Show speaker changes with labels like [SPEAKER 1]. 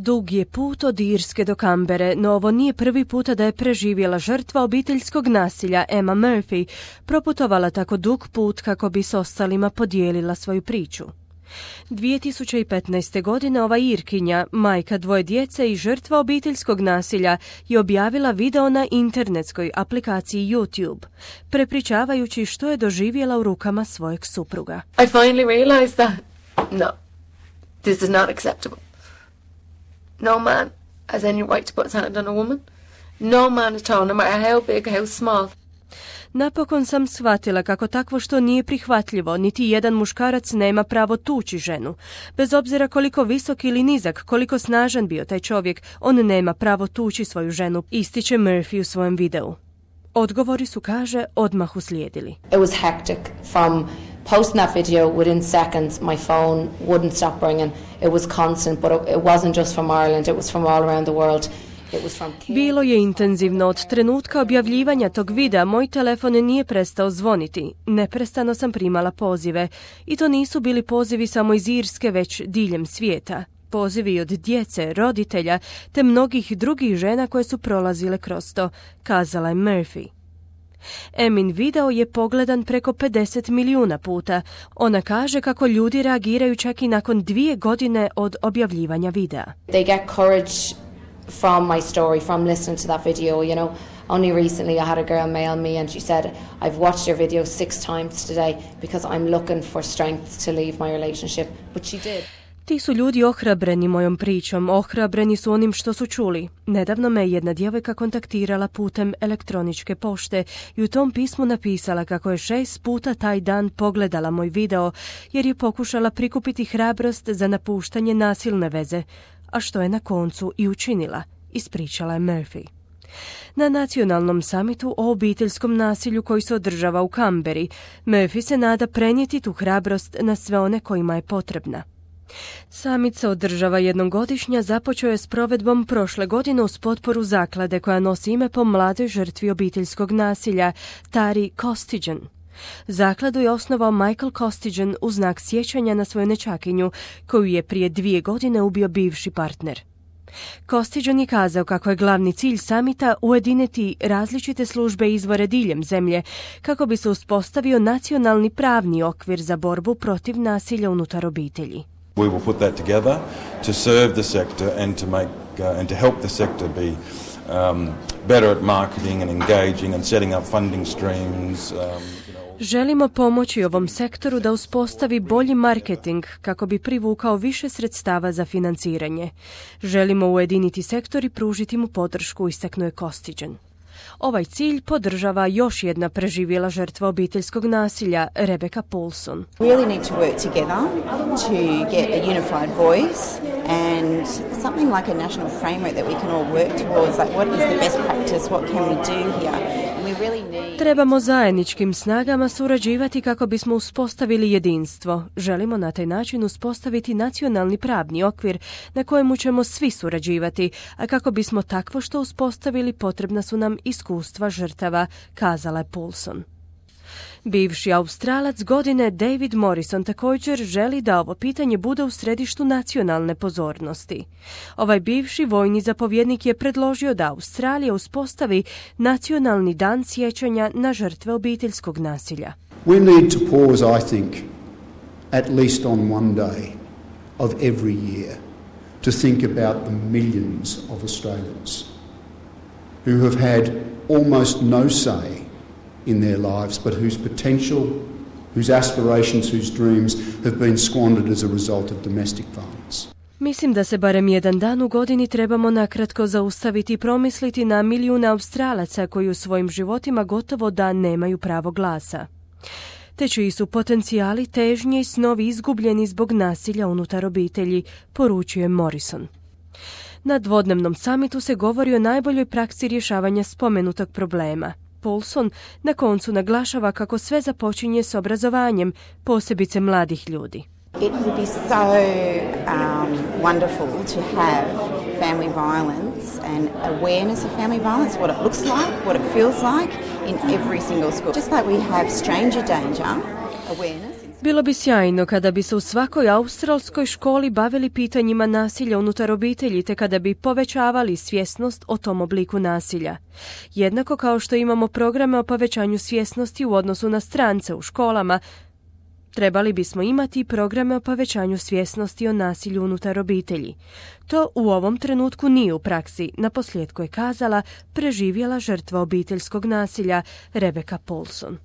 [SPEAKER 1] Dug je put od Irske do Kambere, no ovo nije prvi puta da je preživjela žrtva obiteljskog nasilja Emma Murphy proputovala tako dug put kako bi s ostalima podijelila svoju priču. 2015. godine ova Irkinja, majka dvoje djece i žrtva obiteljskog nasilja, je objavila video na internetskoj aplikaciji YouTube, prepričavajući što je doživjela u rukama svojeg supruga.
[SPEAKER 2] I finally realized that, no, this is not acceptable. No man has any right to put his hand on a woman. No man at all, no matter how big, how small.
[SPEAKER 1] Napokon sam shvatila kako takvo što nije prihvatljivo, niti jedan muškarac nema pravo tući ženu. Bez obzira koliko visok ili nizak, koliko snažan bio taj čovjek, on nema pravo tući svoju ženu, ističe Murphy u svojem videu. Odgovori su, kaže, odmah uslijedili.
[SPEAKER 3] It was hectic. From posting that video, within seconds, my phone wouldn't stop ringing. It was constant, but it wasn't just from Ireland, it was from all around the world.
[SPEAKER 1] Bilo je intenzivno. Od trenutka objavljivanja tog videa moj telefon nije prestao zvoniti. Neprestano sam primala pozive. I to nisu bili pozivi samo iz Irske, već diljem svijeta. Pozivi od djece, roditelja, te mnogih drugih žena koje su prolazile kroz to, kazala je Murphy. Emin video je pogledan preko 50 milijuna puta. Ona kaže kako ljudi reagiraju čak i nakon 2 godine od objavljivanja videa.
[SPEAKER 3] They get courage from my story, from listening to that video, you know. Only recently I had a girl mail me and she said, I've watched your video 6 times today because I'm looking for strength to leave my relationship. But she did.
[SPEAKER 1] Ti su ljudi ohrabreni mojom pričom, ohrabreni su onim što su čuli. Nedavno me jedna djevojka kontaktirala putem elektroničke pošte i u tom pismu napisala kako je 6 puta taj dan pogledala moj video jer je pokušala prikupiti hrabrost za napuštanje nasilne veze, a što je na koncu i učinila, ispričala je Murphy. Na nacionalnom samitu o obiteljskom nasilju koji se održava u Kamberi, Murphy se nada prenijeti tu hrabrost na sve one kojima je potrebna. Samit se održava jednom godišnja, započeo je s provedbom prošle godine uz potporu zaklade koja nosi ime po mladoj žrtvi obiteljskog nasilja, Tari Costigan. Zakladu je osnovao Michael Costigan u znak sjećanja na svoju nećakinju, koju je prije 2 godine ubio bivši partner. Costigan je kazao kako je glavni cilj samita ujediniti različite službe i izvore diljem zemlje kako bi se uspostavio nacionalni pravni okvir za borbu protiv nasilja unutar obitelji.
[SPEAKER 4] We will put that together to serve the sector and to make and to help the sector be better at marketing and engaging and setting up funding streams.
[SPEAKER 1] Želimo pomoći ovom sektoru da uspostavi bolji marketing kako bi privukao više sredstava za financiranje. Želimo ujediniti sektor i pružiti mu podršku, istaknuo je Costigan. Ovaj cilj podržava još jedna preživjela žrtva obiteljskog nasilja, Rebecca Paulson.
[SPEAKER 5] We really need to work together to get a unified voice and something like a national framework that we can all work towards, like what is the best practice, what can we do here?
[SPEAKER 1] Trebamo zajedničkim snagama surađivati kako bismo uspostavili jedinstvo. Želimo na taj način uspostaviti nacionalni pravni okvir na kojemu ćemo svi surađivati, a kako bismo takvo što uspostavili potrebna su nam iskustva žrtava, kazala je Paulson. Bivši Australac godine David Morrison također želi da ovo pitanje bude u središtu nacionalne pozornosti. Ovaj bivši vojni zapovjednik je predložio da Australija uspostavi nacionalni dan sjećanja na žrtve obiteljskog nasilja.
[SPEAKER 6] We need to pause, I think, at least on one day of every year to think about the millions of Australians who have had almost no say in their lives, but whose potential, whose aspirations, whose dreams have been squandered as a result of domestic violence.
[SPEAKER 1] Mislim da se barem jedan dan u godini trebamo nakratko zaustaviti i promisliti na milijune Australaca koji u svojim životima gotovo da nemaju pravo glasa. Te čiji su potencijali, težnje i snovi izgubljeni zbog nasilja unutar obitelji, poručuje Morrison. Na dvodnevnom samitu se govori o najboljoj praksi rješavanja spomenutog problema. Paulson na koncu naglašava kako sve započinje s obrazovanjem, posebice mladih ljudi.
[SPEAKER 5] It would be so wonderful to have family violence and awareness of family violence, what it looks like, what it feels like in every single school. Just like we have stranger danger awareness.
[SPEAKER 1] Bilo bi sjajno kada bi se u svakoj australskoj školi bavili pitanjima nasilja unutar obitelji te kada bi povećavali svjesnost o tom obliku nasilja. Jednako kao što imamo programe o povećanju svjesnosti u odnosu na strance u školama, trebali bismo imati programe o povećanju svjesnosti o nasilju unutar obitelji. To u ovom trenutku nije u praksi, naposljetku je kazala preživjela žrtva obiteljskog nasilja Rebecca Paulson.